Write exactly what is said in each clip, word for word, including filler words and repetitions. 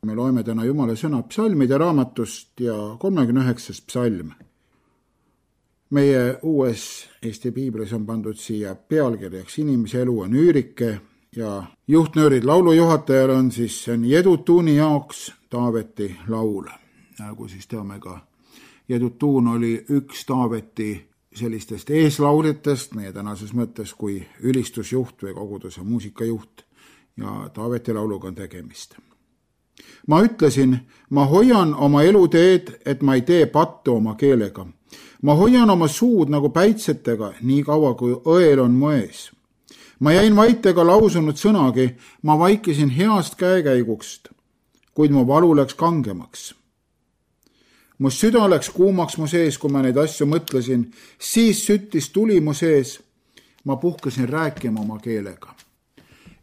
Me loeme täna Jumala sõna psalmide raamatust ja kolmekümne üheksas psalm. Meie uues Eesti piiblis on pandud siia pealkirjaks inimese elu on üürike ja juhtnöörid laulujuhatajal on siis see on Jedutuuni jaoks Taaveti laul. Nagu siis teame ka, Jedutuun oli üks Taaveti sellistest eeslauljatest meie tänases mõttes kui ülistusjuht või koguduse muusikajuht ja Taaveti lauluga on tegemist. Ma ütlesin, ma hoian oma eluteed, et ma ei tee pattu oma keelega. Ma hoian oma suud nagu päitsetega, nii kaua kui õel on mu ees. Ma jäin vait ega lausunud sõnagi, ma vaikisin heast käekäigust, kuid mu valu läks kangemaks. Mu süda läks kuumaks mu sees, kui ma neid asju mõtlesin, siis süttis tuli mu sees, ma puhkasin rääkima oma keelega.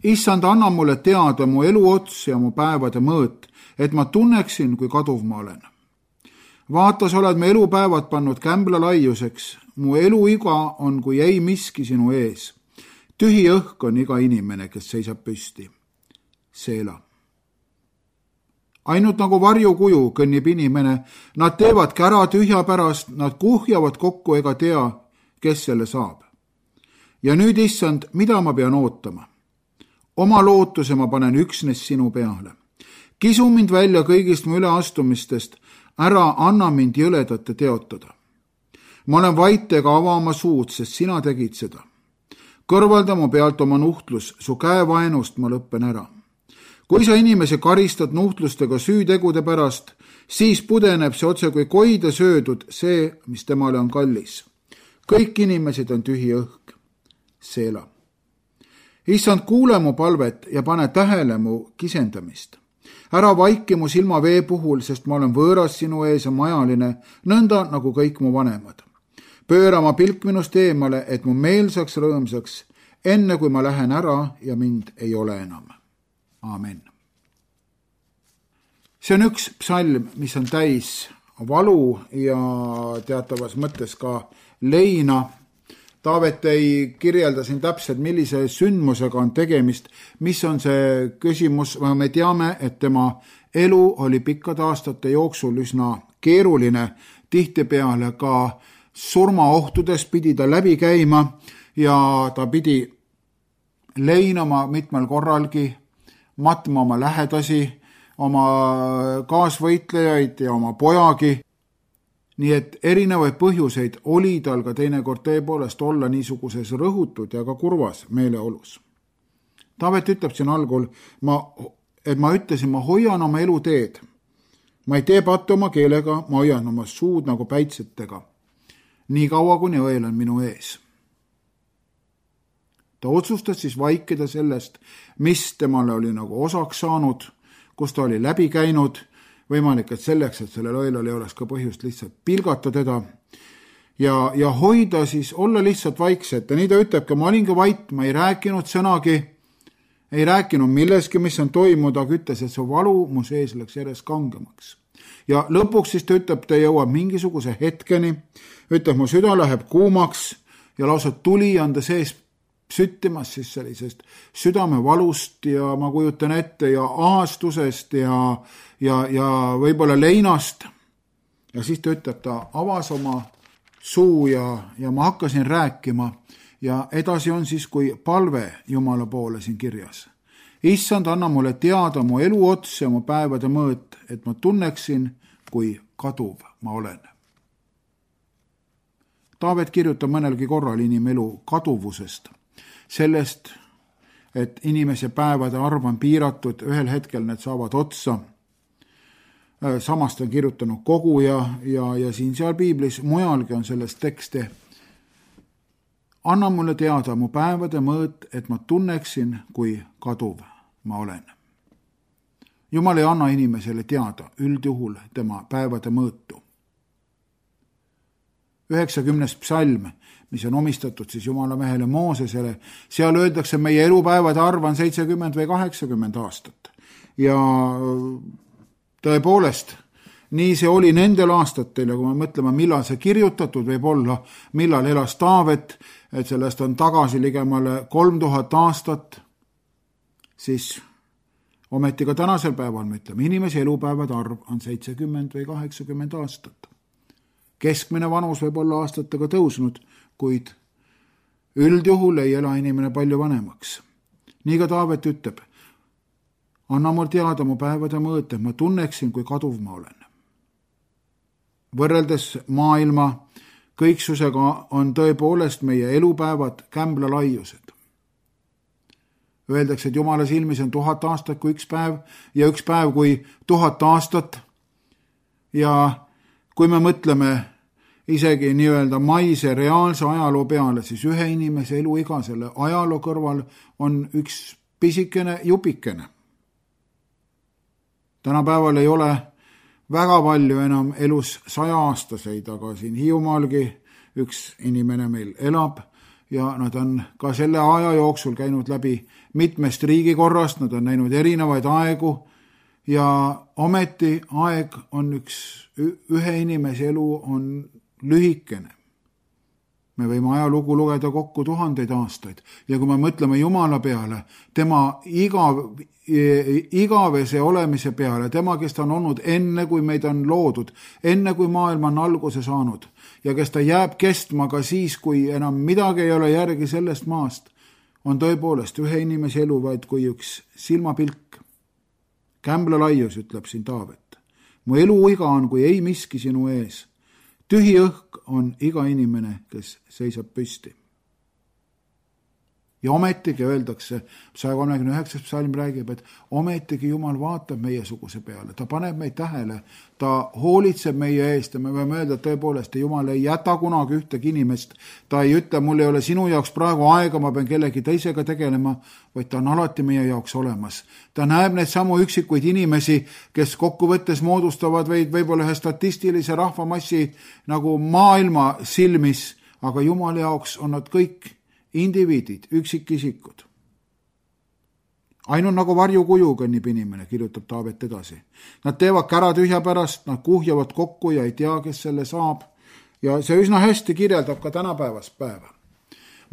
Issand, anna mulle teada mu elu ots ja mu päevade mõõt, et ma tunneksin, kui kaduv ma olen. Vaata, sa oled me elupäevad pannud kämbla laiuseks, mu eluiga on kui ei miski sinu ees. Tühi õhk on iga inimene, kes seisab püsti. Seela. Ainult nagu varjukuju kõnnib inimene, nad teevad kära tühja pärast, nad kuhjavad kokku ega tea, kes selle saab. Ja nüüd, issand, mida ma pean ootama? Oma lootuse ma panen üksnes sinu peale. Kisu mind välja kõigist mu üleastumistest, ära anna mind jõledate teotada. Ma olen vait ega ava oma suud, sest sina tegid seda. Kõrvalda mu pealt oma nuhtlus, su käevaenust ma lõppen ära. Kui sa inimese karistad nuhtlustega süütegude pärast, siis pudeneb see otse kui koide söödud see, mis temale on kallis. Kõik inimesed on tühi õhk. Seela. Issand, kuule mu palvet ja pane tähele mu kisendamist. Ära vaiki mu silma vee puhul, sest ma olen võõras sinu ees ja majaline, nõnda nagu kõik mu vanemad. Pööra ma pilk minust eemale, et mu meel saaks rõõmsaks, enne kui ma lähen ära ja mind ei ole enam. Aamen. See on üks psalm, mis on täis valu ja teatavas mõttes ka leina. Taavet ei kirjelda siin täpselt, millise sündmusega on tegemist, mis on see küsimus, me teame, et tema elu oli pikkade aastate jooksul üsna keeruline, tihtipeale ka surmaohtudes pidi ta läbi käima ja ta pidi leinama mitmel korralgi, matma oma lähedasi, oma kaasvõitlejaid ja oma pojagi. Nii et erinevaid põhjuseid oli tal ka teinekord tõepoolest olla niisuguses rõhutud ja ka kurvas meeleolus. Taavet ütleb siin algul, ma, et ma ütlesin, ma hoian oma eluteed. Ma ei tee pattu oma keelega, ma hoian oma suud nagu päitsetega. Nii kaua, kuni õel on minu ees. Ta otsustas siis vaikida sellest, mis temale oli nagu osaks saanud, kus ta oli läbi käinud, võimalik, et selleks, et sellel õelal ei oleks ka põhjust lihtsalt pilgata teda ja, ja hoida siis, olla lihtsalt vaikset. Ja nii ta ütlebki, ma olingi vait, ma ei rääkinud sõnagi, ei rääkinud milleski, mis on toimunud, aga ütles, et see valu mu sees läks järjest kangemaks. Ja lõpuks siis ta ütleb, ta jõuab mingisuguse hetkeni, ütleb, mu süda läheb kuumaks ja lausa tuli on ta sees süttimas siis sellisest südamevalust ja ma kujutan ette ja ahastusest ja, ja, ja võib-olla leinast. Ja siis ta ütleb, ta avas oma suu ja, ja ma hakkasin rääkima ja edasi on siis kui palve Jumala poole siin kirjas. Issand, anna mulle teada mu elu ots ja mu päevade mõõt, et ma tunneksin, kui kaduv ma olen. Taavet kirjutab mõnelgi korral inimelu kaduvusest. Sellest, et inimese päevade arv on piiratud, ühel hetkel need saavad otsa. Samast on kirjutanud koguja ja, ja siin seal piiblis mujalgi on sellest tekste. Anna mulle teada mu päevade mõõt, et ma tunneksin, kui kaduv ma olen. Jumal ei anna inimesele teada üldjuhul tema päevade mõõtu. üheksakümnes psalm, mis on omistatud siis Jumala mehele Moosesele, seal öeldakse, meie elupäevade arv on seitsekümmend või kaheksakümmend aastat. Ja tõepoolest, nii see oli nendel aastatel ja kui me mõtleme, millal see kirjutatud võib olla, millal elas Taavet, et sellest on tagasi ligemale kolm tuhat aastat, siis ometi ka tänasel päeval me ütleme, inimese elupäevade arv on seitsekümmend või kaheksakümmend aastat. Keskmine vanus võib olla aastatega tõusnud, kuid üldjuhul ei ela inimene palju vanemaks. Nii ka Taavet ütleb, anna mul teada mu päevade mõõte, ma tunneksin, kui kaduv ma olen. Võrreldes maailma kõiksusega on tõepoolest meie elupäevad kämbla laiused. Öeldakse, et Jumala silmis on tuhat aastat kui üks päev ja üks päev kui tuhat aastat. Ja kui me mõtleme isegi nii-öelda maise reaalse ajaloo peale, siis ühe inimese eluiga selle ajaloo kõrval on üks pisikene jupikene. Tänapäeval ei ole väga palju enam elus saja-aastaseid, aga siin Hiiumaalgi üks inimene meil elab ja nad on ka selle aja jooksul käinud läbi mitmest riigikorrast, nad on näinud erinevaid aegu ja ometi aeg on üks, ühe inimese elu on lühikene. Me võime ajalugu lugeda kokku tuhandeid aastaid ja kui me mõtleme Jumala peale, tema igav, igavese olemise peale, tema, kes ta on olnud enne, kui meid on loodud, enne kui maailm on alguse saanud ja kes ta jääb kestma ka siis, kui enam midagi ei ole järgi sellest maast, on tõepoolest ühe inimese elu vaid kui üks silmapilk. Kämbla laius, ütleb siin Taavet. Mu eluiga on kui ei miski sinu ees. Tühi õhk on iga inimene, kes seisab püsti. Ja ometigi öeldakse, saja kolmekümne üheksas psalm räägib, et ometigi Jumal vaatab meiesuguse peale, ta paneb meid tähele, ta hoolitseb meie eest ja me võime öelda, et tõepoolest Jumal ei jäta kunagi ühtegi inimest, ta ei ütle, mul ei ole sinu jaoks praegu aega, ma pean kellegi teisega tegelema, vaid ta on alati meie jaoks olemas. Ta näeb neid samu üksikuid inimesi, kes kokkuvõttes moodustavad veid võib-olla ühe statistilise rahvamassi nagu maailma silmis, aga Jumal jaoks on nad kõik indiviidid, üksikisikud. Ainult nagu varjukuju kõnnib inimene, kirjutab Taavet edasi. Nad teevad kära tühja pärast, nad kuhjavad kokku ja ei tea, kes selle saab. Ja see üsna hästi kirjeldab ka tänapäevast päeva.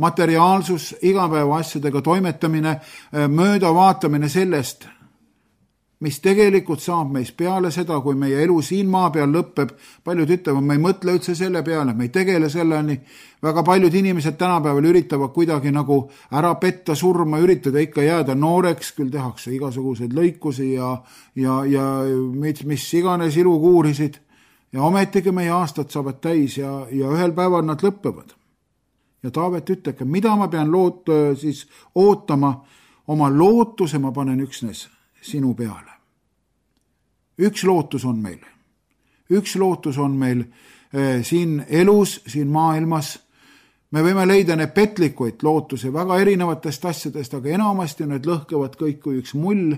Materiaalsus, igapäeva asjadega toimetamine, mööda vaatamine sellest, mis tegelikult saab meist peale seda, kui meie elu siin maa peal lõpeb. Paljud ütlevad, me ei mõtle üldse selle peale, me ei tegele selleni. Väga paljud inimesed tänapäeval üritavad kuidagi nagu ära petta surma, üritada ikka jääda nooreks, küll tehakse igasuguseid lõikusi ja, ja, ja mis, mis iganes ilu kuurisid. Ja ometigi meie aastad saavad täis ja, ja ühel päeval nad lõppevad. Ja Taavet ütleb, mida ma pean loot, siis ootama, oma lootuse ma panen üksnes sinu peale. Üks lootus on meil. Üks lootus on meil eh, siin elus, siin maailmas. Me võime leida need petlikuid lootuse väga erinevatest asjadest, aga enamasti need lõhkevad kõik kui üks mull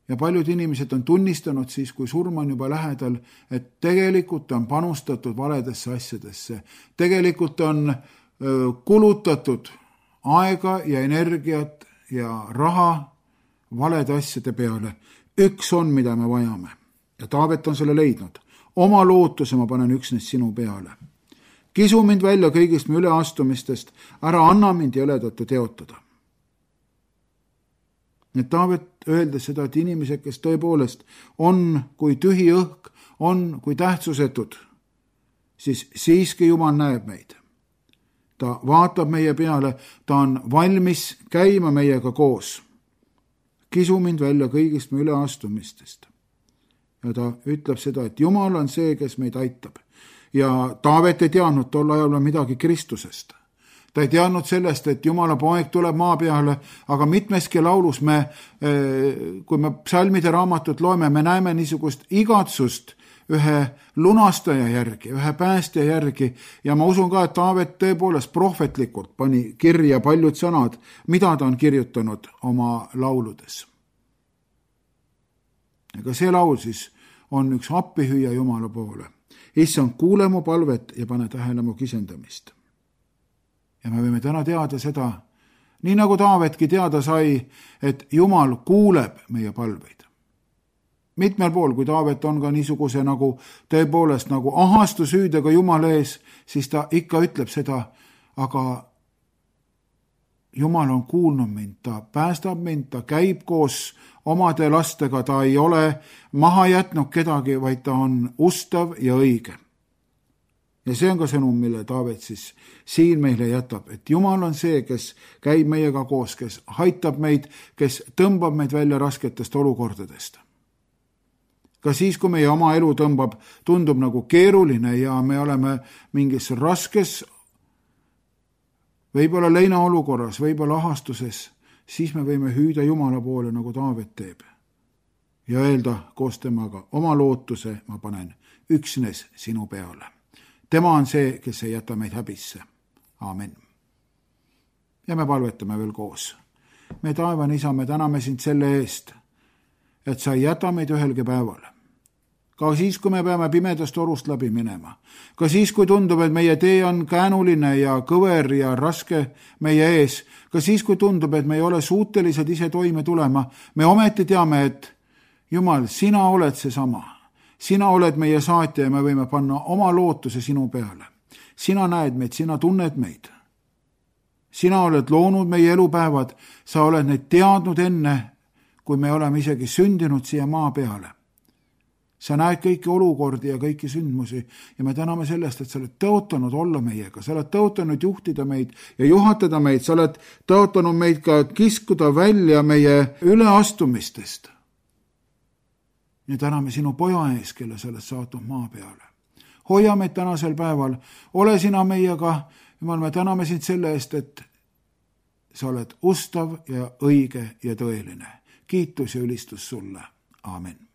ja paljud inimesed on tunnistanud siis, kui surm on juba lähedal, et tegelikult on panustatud valedesse asjadesse. Tegelikult on öö, kulutatud aega ja energiat ja raha valede asjade peale. Üks on, mida me vajame. Ja Taavet on selle leidnud. Oma lootuse ma panen üksnes sinu peale. Kisu mind välja kõigist mu üleastumistest, ära anna mind jõledatu teotada. Et Taavet öeldes seda, et inimesed, kes tõepoolest on kui tühi õhk, on kui tähtsusetud, siis siiski Jumal näeb meid. Ta vaatab meie peale, ta on valmis käima meiega koos. Kisu mind välja kõigist mu üleastumistest. Ja ta ütleb seda, et Jumal on see, kes meid aitab. Ja Taavet ei teadnud tol ajal midagi Kristusest. Ta ei teadnud sellest, et Jumala poeg tuleb maa peale, aga mitmeski laulus me, kui me psalmide raamatut loeme, me näeme niisugust igatsust ühe lunastaja järgi, ühe päästja järgi ja ma usun ka, et Taavet tõepoolest prohvetlikult pani kirja paljud sõnad, mida ta on kirjutanud oma lauludes. Ega see laul siis on üks appihüüa Jumala poole. Issand, kuule mu palvet ja pane tähele mu kisendamist. Ja me võime täna teada seda, nii nagu Taavetki teada sai, et Jumal kuuleb meie palveid. Mitmel pool, kui Taavet on ka niisuguse nagu tõepoolest nagu ahastusüüdega Jumala ees, siis ta ikka ütleb seda, aga Jumal on kuulnud mind, ta päästab mind, ta käib koos omade lastega, ta ei ole maha jätnud kedagi, vaid ta on ustav ja õige. Ja see on ka sõnum, mille Taavet siis siin meile jätab, et Jumal on see, kes käib meiega koos, kes aitab meid, kes tõmbab meid välja rasketest olukordadest. Ka siis, kui meie oma elu tõmbab, tundub nagu keeruline ja me oleme mingis raskes, võib-olla leina olukorras, võib-olla ahastuses, siis me võime hüüda Jumala poole, nagu Taavet teeb. Ja öelda koos temaga, oma lootuse ma panen üksnes sinu peale. Tema on see, kes ei jäta meid häbisse. Aamen. Ja me palvetame veel koos. Me taevan isa, me täname sind selle eest, et sa ei jäta meid ühelgi päeval. Ka siis, kui me peame pimedast orust läbi minema. Ka siis, kui tundub, et meie tee on käänuline ja kõver ja raske meie ees. Ka siis, kui tundub, et me ei ole suutelised ise toime tulema. Me ometi teame, et Jumal, sina oled seesama. Sina oled meie saatja ja me võime panna oma lootuse sinu peale. Sina näed meid, sina tunned meid. Sina oled loonud meie elupäevad, sa oled neid teadnud enne, kui me oleme isegi sündinud siia maa peale. Sa näed kõiki olukordi ja kõiki sündmusi ja me täname sellest, et sa oled tõotanud olla meiega, sa oled tõotanud juhtida meid ja juhatada meid, sa oled tõotanud meid ka kiskuda välja meie üleastumistest. Ja täname sinu poja ees, kelle sa oled saatnud maa peale. Hoia meid tänasel päeval, ole sina meiega, Jumal, me täname sind selle eest, et sa oled ustav ja õige ja tõeline. Kiitus ja ülistus sulle. Aamen.